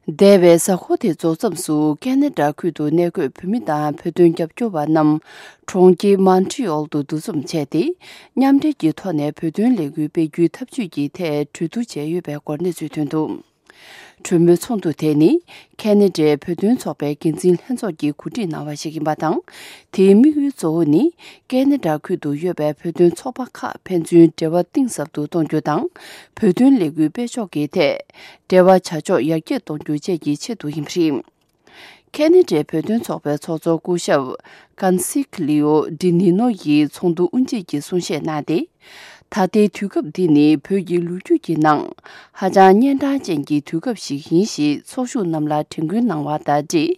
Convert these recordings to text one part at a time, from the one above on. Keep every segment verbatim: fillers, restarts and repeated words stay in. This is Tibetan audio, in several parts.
འདས་པའི་གཟའ་འཁོར་དེ་རྫོགས་མཚམས་སུ་ཁེ་ན་ཌ་ཁུལ་དུ་གནས་འཁོད་བོད་མི་དང་བོད་དོན་རྒྱབ་སྐྱོར་བ་རྣམས་གྲོང་ཁྱེར་མོན་ཊི་ཨོལ་དུ་འདུ་འཛོམས་བྱས་ཏེ། མཉམ་འབྲེལ་གྱི་ཐོག་ནས་བོད་དོན་ལས་འགུལ་སྤེལ་རྒྱུའི་ཐབས་ཇུས་ཀྱི་ཐད་གྲོས་བསྡུར་བྱས་ཡོད་པའི་སྐོར་གནས་ཚུལ་ཐོན་འདུག་གྲོས་མོལ་ཚོགས་འདུ་དེ་ནི་ཁེ་ན་ཌའི་བོད་དོན་ཚོགས་པའི་འགན་འཛིན་ལྷན་ཚོགས་ཀྱིས་གོ་སྒྲིག་གནང་བ་ཞིག་ཡིན་པ་དང་། དེའི་དམིགས་ཡུལ་གཙོ་བོ་ནི་ཁེ་ན་ཌ་ཁུལ་དུ་ཡོད་པའི་བོད་དོན་ཚོགས་པ་ཁག་ཕན་ཚུན་འབྲེལ་བ་གཏིང་ཟབ་ཏུ་གཏོང་རྒྱུ་དང་། བོད་དོན་ལས་འགུལ་སྤེལ་ཕྱོགས་ཀྱི་ཐད་འབྲེལ་བ་བྱ་ཕྱོགས་ཡར་རྒྱས་གཏོང་རྒྱུ་བཅས་ཀྱི་ཆེད་དུ་ཡིན་པ་རེད། ཁེ་ན་ཌའི་བོད་དོན་ཚོགས་པའི་ཚོགས་གཙོ་སྐུ་ཞབས་ཀན་སི་ཀི་ལིའོ་ཌི་ནི་ནོ་ཡིས་ཚོགས་འདུ་དབུ་འབྱེད་ཀྱི་གསུང་བཤད་གནང་སྟེ། ད་ལྟའི་དུས་སྐབས་འདི་ནི་བོད་ཀྱི་ལོ་རྒྱུས་ཀྱི་ནང་ཧ་ཅང་གཉན་འཕྲང་ཅན་གྱི་དུས་སྐབས་ཤིག་ཡིན་ཞེས་ཚོགས་ཞུགས་རྣམས་ལ་དྲན་སྐུལ་གནང་བ་དང་འབྲེལ།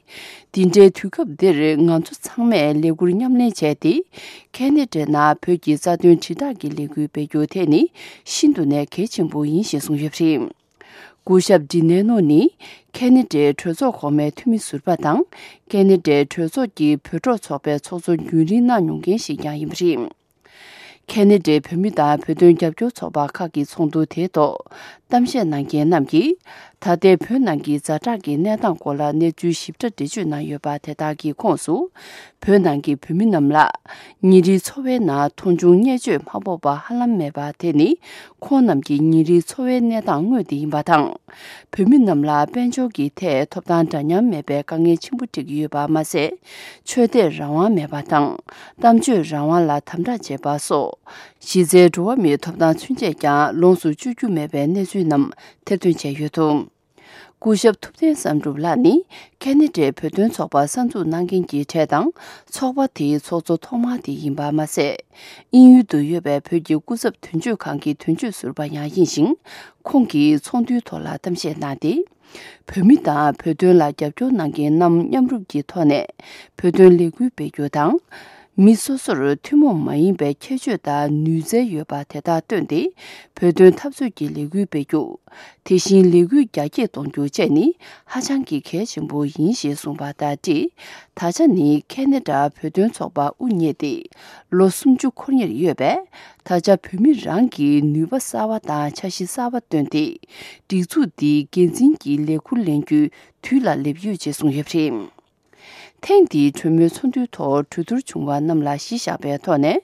འདི་འདྲའི་དུས་སྐབས་འདིར་ང་ཚོ་ཚང་མས་ལས་འགུལ་མཉམ་ལེན་བྱས་ཏེ། ཁེ་ན་ཌའི་ནང་བོད་ཀྱི་རྩ་དོན་དྲིལ་བསྒྲགས་ཀྱི་ལས་འགུལ་སྤེལ་རྒྱུ་དེ་ནི་ཤིན་ཏུ་ནས་གལ་ཆེན་པོ་ཡིན་ཞེས་གསུངས་ཡོད་པ་རེད། སྐུ་ཞབས་ཌི་ནེ་ནོ་ནི་ཁེ་ན་ཌའི་གྲོས་ཚོགས་གོང་མའི་འཐུས་མི་ཟུར་པ་དང་། ཁེ་ན་ཌའི་གྲོས་ཚོགས་ཀྱི་བོད་འབྲོག་ཚོགས་པའི་ཚོགས་གཙོ་རྒྱུན་རིང་གནང་མྱོང་མཁན་ཞིག་ཀྱང་ཡིན་པ་རེད། ཁེ་ན་ཌའི་བོད་མི་དང་བོད་དོན་རྒྱབ་སྐྱོར་ཚོགས་པ་ཁག་གི་ཚོགས་འདུ་དེའི་ཐོག་གཏམ་བཤད་གནང་མཁན་རྣམས་ཀྱིས། ད་ལྟའི་བོད་ནང་གི་ཛ་དྲག་གི་གནས་སྟངས་སྐོར་ལ་གནས་ཚུལ་ཞིབ་ཕྲ་འགྲེལ་བརྗོད་གནང་ཡོད་པ་དེ་དག་གི་ཁོངས་སུ། བོད་ནང་གི་བོད་མི་རྣམས་ལ་ཉིན་རེའི་འཚོ་བའི་ནང་མཐོང་ཆུང་བརྙས་བཅོས་མ་ཕོག་པ་ཧ་ལམ་མེད་པ་དེ་ནི། ཁོང་རྣམས་ཀྱི་ཉིན་རེའི་འཚོ་བའི་གནས་སྟངས་དངོས་དེ་ཡིན་པ་དང་། བོད་མི་རྣམས་ལ་དཔལ་འབྱོར་གྱི་ཐད་ཐོབ་ཐང་འདྲ་མཉམ་མེད་པའི་དཀའ་ངལ་ཆེན་པོ་འཕྲད་ཀྱི་ཡོད་པ་མ་ཟད། ཆོས་དད་རང་དབང་མེད་པ་དང་། གཏམ་བརྗོད་རང་དབང་ལ་དམ་དྲག་བྱེད་པ་སོགས། གཞི་རྩའི་འགྲོ་བ་མིའི་ཐོབ་ཐང་ཚུན་ཆད་ཀྱང་ལོངས་སུ་སྤྱོད་རྒྱུ་མེད་པའི་གནས་ཚུལ་རྣམས་ཐེར་འདོན་བྱས་ཡོད་འདུག་སྐུ་ཞབས་ཐུབ་བསྟན་བསམ་གྲུབ་ལགས་ནི་ཁེ་ན་ཌའི་བོད་དོན་ཚོགས་པ་གསར་འཛུགས་གནང་མཁན་གྱི་གྲས་དང་། ཚོགས་པ་དེའི་ཚོགས་གཙོ་ཐོག་མ་དེ་ཡིན་པ་མ་ཟད། དབྱིན་ཡུལ་དུ་ཡོད་པའི་བོད་ཀྱི་སྐུ་ཚབ་དོན་གཅོད་ཁང་གི་དོན་གཅོད་ཟུར་པ་ཡང་ཡིན་ཞིང་། ཁོང་གིས་ཚོགས་འདུའི་ཐོག་ལ་གཏམ་བཤད་གནང་སྟེ། བོད་མི་དང་བོད་དོན་ལ་རྒྱབ་སྐྱོར་གནང་མཁན་རྣམས་མཉམ་རུབ་ཀྱི་ཐོག་ནས་བོད་དོན་ལས་འགུལ་སྤེལ་རྒྱུ་དང་། མི་སོ་སོར་ཐུན་མོང་མ་ཡིན་པའི་ཁྱད་ཆོས་དང་ནུས་རྩལ་ཡོད་པ་དེ་དག་བཏོན་ཏེ། བོད་དོན་འཐབ་རྩོད་ཀྱི་ལས་འགུལ་སྤེལ་རྒྱུ། དེ་བཞིན་ལས་འགུལ་རྒྱ་སྐྱེད་གཏོང་རྒྱུ་བཅས་ནི་ཧ་ཅང་གི་གལ་ཆེན་པོ་ཡིན་ཞེས་གསུངས་པ་དང་འབྲེལ། ད་ཆ་ནི་ཁེ་ན་ཌ་བོད་དོན་ཚོགས་པ་དབུ་བརྙེས་ཏེ་ལོ་སུམ་ཅུ་འཁོར་ཉེར་ཡོད་པས། ད་ཆ་བོད་མི་རང་གིས་ནུས་པ་གསར་བ་དང་འཆར་གཞི་གསར་བ་བཏོན་ཏེ། སྒྲིག་འཛུགས་འདིའི་འགན་འཛིན་གྱི་ལས་འཁུར་ལེན་རྒྱུའི་དུས་ལ་སླེབས་ཡོད་ཅེས་གསུངས་ཡོད་པ་རེད། ཐེངས་འདིའི་གྲོས་མོལ་ཚོགས་འདུའི་ཐོག་གྲོས་བསྡུར་བྱུང་བ་རྣམས་ལ་གཞི་བཞག་པའི་ཐོག་ནས།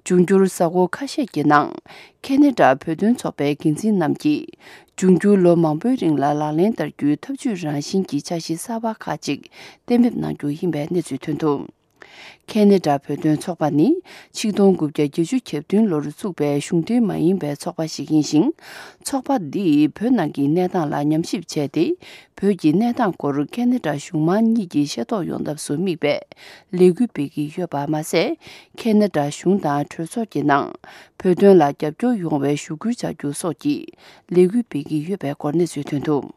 འབྱུང་འགྱུར་གཟའ་འཁོར་ཁ་ཤས་ཀྱི་ནང་། ཁེ་ན་ཌ་བོད་དོན་ཚོགས་པའི་འགན་འཛིན་རྣམས་ཀྱིས། འབྱུང་འགྱུར་ལོ་མང་པོའི་རིང་ལ་ལག་ལེན་བསྟར་རྒྱུའི་ཐབས་ཇུས་རང་བཞིན་གྱི་འཆར་གཞི་གསར་པ་ཁག་ཅིག་གཏན་འབེབས་གནང་རྒྱུ་ཡིན་པའི་གནས་ཚུལ་ཐོན་འདུག་ཁེ་ན་ཌ་བོད་དོན་ཚོགས་པ་ནི། ཆིག་སྟོང་དགུ་བརྒྱ་བརྒྱད་ཅུ་གྱ་བདུན་ལོར་བཙུགས་པའི་གཞུང་འབྲེལ་མ་ཡིན་པའི་ཚོགས་པ་ཞིག་ཡིན་ཞིང་། ཚོགས་པ་འདིས་བོད་ནང་གི་གནས་སྟངས་ལ་ཉམས་ཞིབ་བྱས་ཏེ། བོད་ཀྱི་གནས་སྟངས་སྐོར་ཁེ་ན་ཌ་གཞུང་མང་གཉིས་ཀྱིས་ཤེས་རྟོགས་ཡོང་ཐབས་སུ་དམིགས་པའི་ལས་འགུལ་སྤེལ་གྱི་ཡོད་པ་མ་ཟད། ཁེ་ན་ཌ་གཞུང་དང་གྲོས་ཚོགས་ཀྱི་ནང་བོད་དོན་ལ་རྒྱབ་སྐྱོར་ཡོང་བའི་ཞུ་སྐུལ་བྱ་རྒྱུ་སོགས་ཀྱི་ལས་འགུལ་སྤེལ་གྱི་ཡོད་པའི་སྐོར་གནས་ཚུལ་ཐོན་འདུག